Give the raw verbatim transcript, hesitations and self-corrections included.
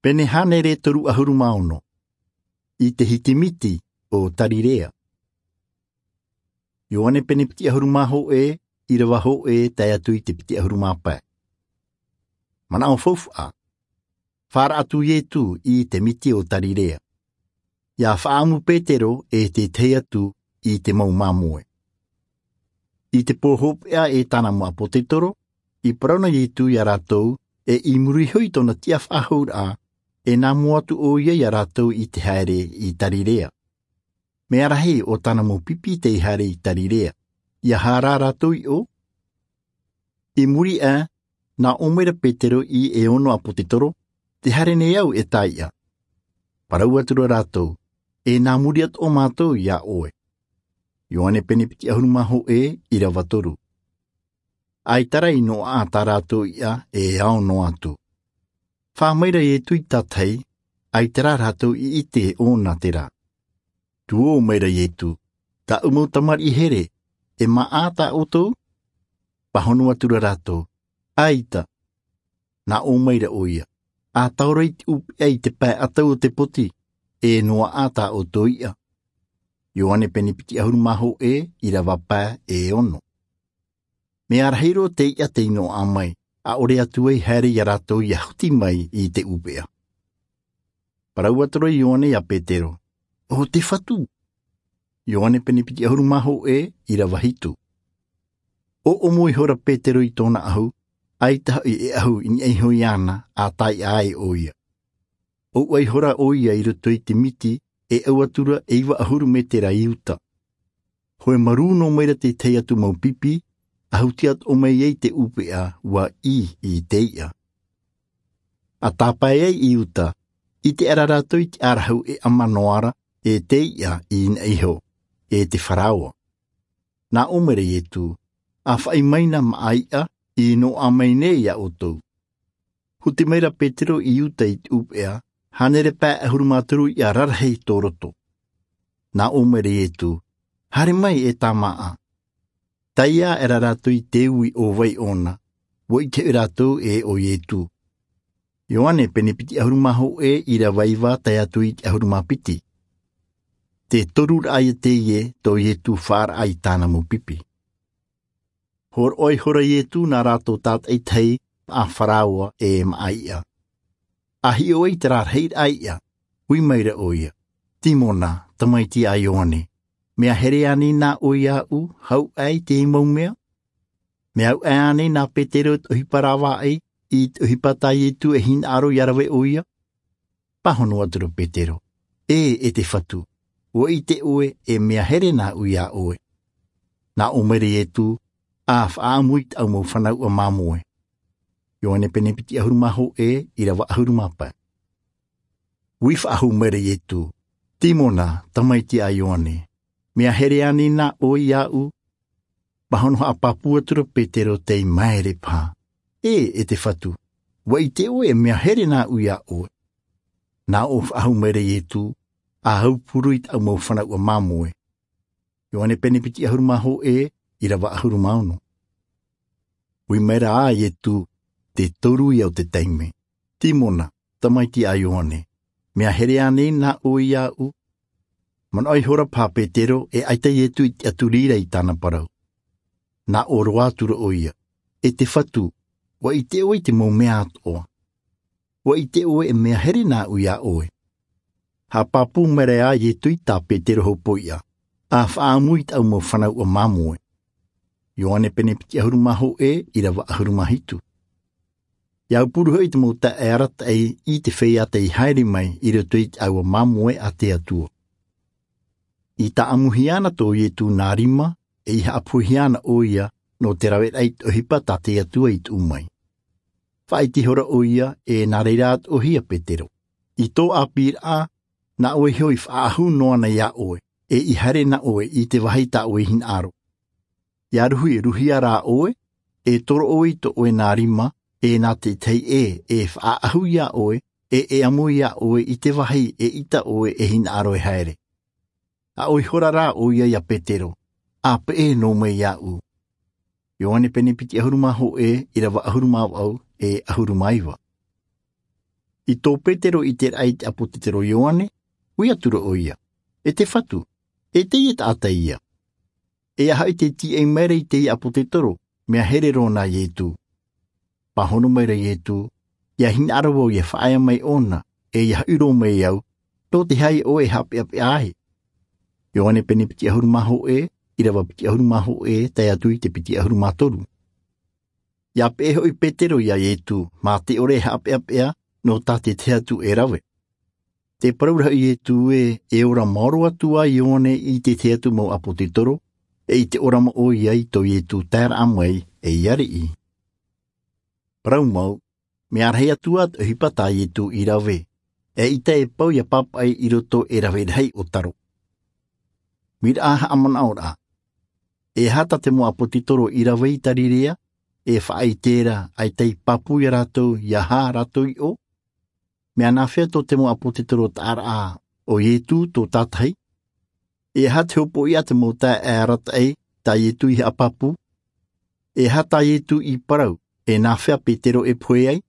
Pene hānere toru ʻahuru mā ono. I te hitimiti o Tarirea. Ioane pene piti ʻahuru mā hōʻē, ʻīrava hōʻē tae atu i te piti ʻahuru mā pae. Manaʻo faufaʻa. Fāraʻa atu Ietu i te miti o Tarirea. ʻIa faʻaʻamu Petero e te tahi atu i te mau māmoe. I te pō hopeʻa e tāna mau ʻāpōsetolo, i parau na Ietu ia rātou, e i muri iho i tōna tiʻa faʻahouraʻa, e nā mua atu ʻoia ia rātou i te haere i Tarirea. Mea rahi ʻo tāna mau pipi tei haere i Tarirea, ʻia hara rātou i ʻō. I muri aʻe, nā ʻō mai ra Petero i e ono ʻāpōsetolo, tē haere nei au e taiʻa. Parau atu ra rātou, e nā muri atoʻa mātou ia ʻoe. Ioane pene piti ʻahuru mā hōʻē, ʻīrava toru. ʻAita rā i noaʻa tā rātou iʻa e ao noa atu. Fā mai ra Ietu i tātahi, ʻaita rā rātou i ʻite ʻōna terā. Tuō mai ra Ietu, tāʻu mau tamariʻi here, e māʻa tā ʻoutou? Pāhono atu ra rātou, ʻaita. Nā ʻō mai ra ʻoia, ʻa tae roa i te ʻūpeʻa i te pae ʻatau o te poti, e noaʻa tā ʻoutou iʻa. Ioane pene piti ʻahuru mā hōʻē, ʻīrava pae e ono. Mea rahi roa te iʻa tei noaʻa mai, ʻaʻore atu ai haere ia rātou ʻia huti mai i te ʻūpeʻa. Parau atu ra Ioane ia Petero, ʻo te Fatu. Ioane pene piti ʻahuru mā hōʻē, ʻīrava hitu. ʻOʻomo ihora Petero i tōna ʻahu, ʻaita hoʻi e ʻahu i niʻa iho iāna, ʻa taiʻa ai ʻoia. ʻOuʻa ihora ʻoia i roto i te miti, e ʻau atu ra e iva ʻahuru mētera i uta. Hoe marū noa mai ra te tahi atu mau pipi, ʻa huti atoʻa mai ai te ʻūpeʻa, ʻua ʻī i te iʻa. ʻA tāpae ai i uta, ʻite aʻera rātou i te ʻarahu e ʻama noa ra, e te iʻa i niʻa iho, e te Faraoa. Nā ʻō mai ra Ietu, ʻa faʻi mai na māʻa iʻa, i noaʻa mai nei ia ʻoutou. Huti mai ra Petero i uta i te ʻūpeʻa, hānere pae ʻahuru mā toru iʻa rarahi tō roto. Nā ʻō mai ra Ietu, haere mai e tā māʻa. Taiʻa aʻera rātou i te ui ʻo vai ʻōna, ʻua ʻite hoʻi rātou e ʻo Ietu. Ioane pene piti ʻahuru mā hōʻē, ʻīrava iva tae atu i te ʻahuru mā piti. Te toru raʻa ia teie tō Ietu fāraʻa i tāna mau pipi. Hōroʻa ihora Ietu nā rātou tātaʻitahi, māʻa Faraoa e māʻa iʻa. ʻA hiʻo ai te rarahi raʻa iʻa, ui mai ra ʻoia, Timona, tamaiti a Ioane, mea here ānei nā ʻoe iāʻu, hau aʻe i teie mau mea? Mea au aʻe ānei nā Petero te ʻohipa rāvaʻi, i te ʻohipa tā Ietu e hinaʻaro ʻia rave ʻoia? Pāhono atu ra Petero, ʻē, e te Fatu, ʻua ʻite ʻoe e mea here nāʻu iā ʻoe. Nā ʻō mai ra Ietu, ʻa faʻaʻamu i tāʻu mau fanauʻa māmoe. Ioane pene piti ʻahuru mā hōʻē, ʻīrava ʻahuru mā pae. Ui faʻahou mai ra Ietu, Timona, tamaiti a Ioane, mea here ānei nā ʻoe iāʻu? Pāhono haʻapāpū atu ra Petero tei māere paha, ʻē, e te Fatu, ʻua ʻite ʻoe e mea here nāʻu iā ʻoe. Nā ʻō faʻahou mai ra Ietu, ʻa aupuru i tāʻu mau fanauʻa māmoe. Ioane pene piti ʻahuru mā hōʻē, ʻīrava ʻahuru mā ono. Ui mai ra ā Ietu, te toru ia o te taime, Timona, tamaiti a Ioane, mea here ānei nā ʻoe iāʻu? Manaʻo ihora paha Petero e ʻaita Ietu i tiʻaturi ra i tāna parau. Nā ʻō roa atu ra ʻoia, e te Fatu, ʻua ʻite ʻoe i te mau mea atoʻa. ʻUa ʻite ʻoe e mea here nāʻu iā ʻoe. Haʻapāpū mai ra ā Ietu i tā Petero hopoiʻa, ʻa faʻaʻamu i tāʻu mau fanauʻa māmoe. Ioane pene piti ʻahuru mā hōʻē, ʻīrava ʻahuru mā hitu. ʻIa aupuru hoʻi te mau taeaʻe arataʻi i te feiā tei haere mai i roto i te ʻāua māmoe a te Atua. I tāʻamuhia na tō Ietu nā rima, e i haʻapuhia na ʻoia nō te raveraʻa i te ʻohipa tā te Atua i tuʻu mai. Faʻaʻite ihora ʻoia, e nā reira atoʻa hoʻi ia Petero. I tō ʻāpīraʻa, nā ʻoe iho i faʻaʻahu noa na iā ʻoe, e i haere na ʻoe i te vāhi tā ʻoe i hinaʻaro. ʻIa ruhiruhia rā ʻoe, e toro ʻoe i tō ʻoe nā rima, e nā te tahi ʻē e faʻaʻahu iā ʻoe, e e ʻamu iā ʻoe i te vāhi eʻita ʻoe e hinaʻaro e haere. ʻA ʻoe ihora rā ʻoia ia Petero, ʻa peʻe noa mai iāʻu. Ioane pene piti ʻahuru mā hōʻē, ʻīrava ʻahuru mā vaʻu, e ʻahuru mā iva. I tō petero i te raʻa i te ʻāpōtetoro ioane, ui atu rā ʻo ia, e te fatu, e teie taʻata ia. E aha i te tīaʻi mai ra i teie ʻāpōtetoro? Mea here roa nā ietū. Pāhono mai ra ietū, ia hinaʻaro vau ia faʻaea mai ʻōna, e ia haʻiro mai au, tō te aha ʻoe e haʻapeʻapeʻa ai? Ioane pene piti ʻahuru mā hōʻē, ʻīrava piti ʻahuru mā hōʻē tae atu i te piti ʻahuru mā toru. Ia peʻe hoʻi petero iā ietū, mā te ʻore e haʻapeʻapeʻa nō tā te tahi atu e rave. Te parau ra hoʻi ietū ē, e ora maoro atu ai ioane i te tahi atu mau ʻāpōtetoro, e i te ora mau ʻoia i tō ietū taeraʻa mai, e ia riʻi. Parau mau, mea rahi atu ā te ʻohipa tā ietū i rave, e ʻaita e pau ia pāpaʻi i roto e rave rahi o taro. Miraʻa haʻamanaʻoraʻa. E aha tā te mau ʻāpōtetoro i rave i tarirea, e faʻaʻite ra ʻaita i pāpū iā rātou ia aha rātou i ʻō? Mea nāfea tō te mau ʻāpōtetoro taʻaraʻa o ietū tō tātahi? E aha te hopoiʻa te mau taeaʻe arataʻi tā ietū i haʻapāpū? E aha tā ietū i parau, e nāfea petero e pohe ai?